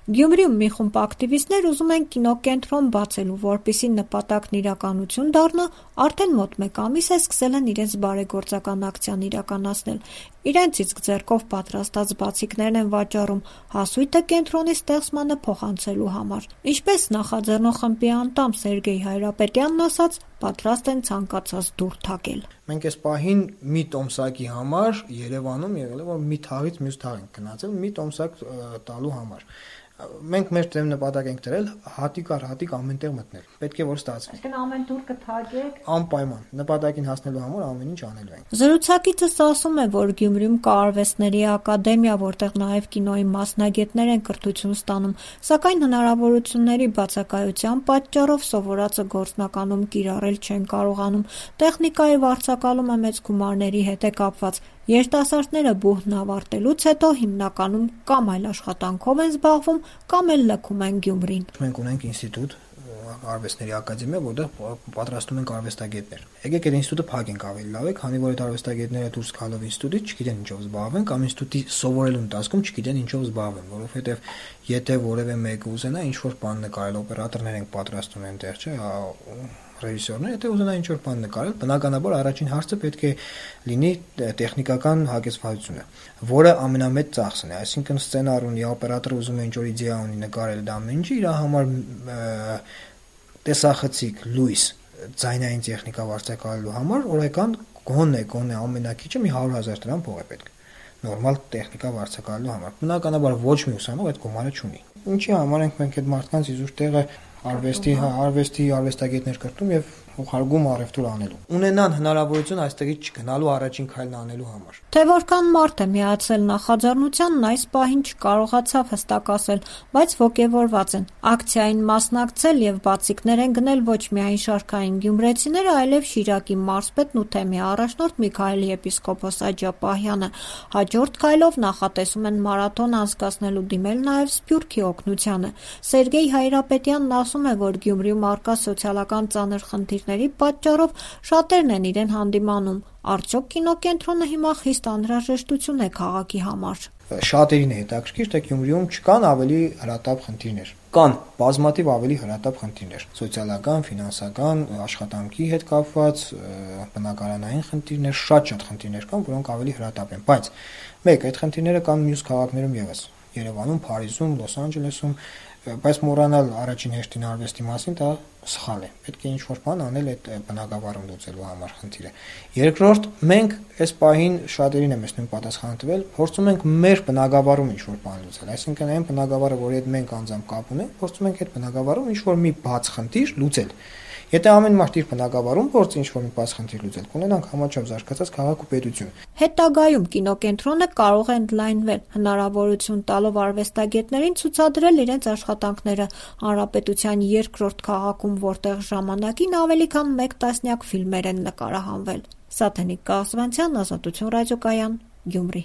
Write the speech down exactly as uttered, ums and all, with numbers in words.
Գյումրիում մի խումբ ակտիվիստներ ուզում են կինոկենտրոն բացելու, որպեսզի նպատակն իրականություն դառնա, արդեն մոտ մեկ ամիս է սկսել են իրենց բարեգործական ակցիան իրականացնել։ Իրենց իսկ ձեռքով պատրաստած բացիկներն են վաճառում հասույթը կենտրոնի ստեղծմանը փոխանցելու համար։ Ինչպես նախաձեռնող խմբի անդամ Սերգեյ Հայրապետյանն ասաց, պատրաստ են ցանկացած դուռ թակել։ Մենք այս պահին մի տոմսակի համար Երևանում եղել է, որ մի թաղից մյուս թաղ ենք գնացել, մի տոմսակ տալու համար։ Մենք մեր դեմ նպատակ ենք դրել հատիկ առ հատիկ ամենտեղ մտնել։ Պետք է որ ստացվի։ Այսինքն ամեն դուռ կթակեք։ Անպայման նպատակին հասնելու համար ամեն ինչ անելու ենք։ Զրուցակիցս ասում է, որ Գյումրիում կա արվեստների ակադեմիա, որտեղ նաև կինոյի մասնագետներ են կրթություն ստանում, սակայն հնարավորությունների բացակայության պատճառով սովորածը գործնականում կիրառել չեն կարողանում։ Տեխնիկայի վարձակալումը մեծ գումարների հետ է կապված։ Երիտասարդները բուհն ավարտելուց հետո հիմնականում կամ այլ աշխատանքով են զբաղվում, կամ էլ լքում են Գյումրին։ Մենք ունենք ինստիտուտ, արվեստների ակադեմիա, որտեղ պատրաստում ենք արվեստագետներ։ Եկեք այդ ինստիտուտը փակենք ավելի լավ է, քանի որ այդ արվեստագետները դուրս գալով ինստիտուտից չգիտեն ինչով զբաղվեն, կամ ինստիտուտի սովորելու ընթացքում չգիտեն ինչով զբաղվեն, որովհետև եթե որևէ մեկը ուզենա ինչ-որ բան նկարել, օպերատորներ ենք պատրաստում այնտեղ, չէ՞, ռեժիսորներ, եթե ուզենա ինչ-որ բան նկարել, բնականաբար առաջին հարցը պետք է լինի տեխնիկական հագեցվածությունը, որը ամենամեծ ծախսն է, այսինքն սցենար ունի, օպերատորը ուզում է ինչ-որ իդեա ունի նկարել դա ամեն ինչը, իր համար տեսախցիկ, լույս, ձայնային տեխնիկա վարձակալելու համար օրական գոնե գոնե ամենակիչը մի հարյուր հազար դրամ փող է պետք։ Նորմալ տեխնիկա վարձակալելու համար։ Բնականաբար ոչ մի ուսանող այդ գումարը չունի։ Ինչի համար ենք մենք այդ մարդկանց իզուր տեղը արվեստի, արվեստի արվեստագետներ կրտում եւ ուղարկում առևտուր անելու։ Ունենան հնարավորություն այստեղից չգնալու առաջին քայլն անելու համար։ Թե որքան մարդ է միացել նախաձեռնությանն այս պահին չկարողացավ հստակ ասել, բայց ոգևորված են։ Ակցիային մասնակցել եւ բացիկներ են գնել ոչ միայն շարքային գյումրեցիները, այլև Շիրակի մարզպետն ու թեմի առաջնորդ Միքայել եպիսկոպոս Աջապահյանը։ Հաջորդ քայլով նախատեսում են մարաթոն անցկացնելու դիմել նաեւ Սփյուռքի օգնությանը։ Սերգեյ Հայրապետյանն ասում է, որ Գյումրիում արկա սոցիալական ծանր խնդիրների պատճառով շատերն են իրեն հանդիմանում։ Արդյոք կինոկենտրոնը հիմա խիստ անհրաժեշտություն է քաղաքի համար։ Շատերին է հետաքրքիր, թե Գյումրիում չկան ավելի հրատապ խնդիրներ։ Կան բազմաթիվ ավելի հրատապ խնդիրներ՝ սոցիալական, ֆինանսական, աշխատանքի հետ կապված, բնակարանային խնդիրներ, շատ-շատ խնդիրներ կան, որոնք ավելի հրատապ են, բայց մեկ այդ խնդիրները կան մյուս քաղաքներում ևս, Երևանում, Փարիզում, Լոս Անջելեսում, բայց մոռանալ առաջին հերթին արվեստի մասին դա սխալ է։ Պետք է ինչ-որ բան անել այդ բնակավարում լուծելու համար խնդիրը։ Երկրորդ, մենք այս պահին շատերին եմ ես նույն պատասխանը տվել, փորձում ենք մեր բնակավարում ինչ-որ բան լուծել, այսինքն այն բնակավարը, որի հետ մենք անձամբ կապ ունենք, փորձում ենք այդ բնակավարում ինչ-որ մի բաց խնդիր լուծել։ Եթե ամեն մարդ իր բնակավարում փորձի ինչ-որ մի բաց խնդիր լուծել, կունենանք համաչափ զարգացած քաղաք ու պետություն։ Հետագայում կինոկենտրոնը կարող է ընդլայնվել, հնարավորություն տալով արվեստագետներին ցուցադրել իրենց աշխատանքները հանրապետության երկրորդ քաղաքում, որտեղ ժամանակին ավելի քան մեկ տասնյակ ֆիլմեր են նկարահանվել։ Սաթենիկ Կաղզվանցյան, Ազատություն ռադիոկայան, Գյումրի։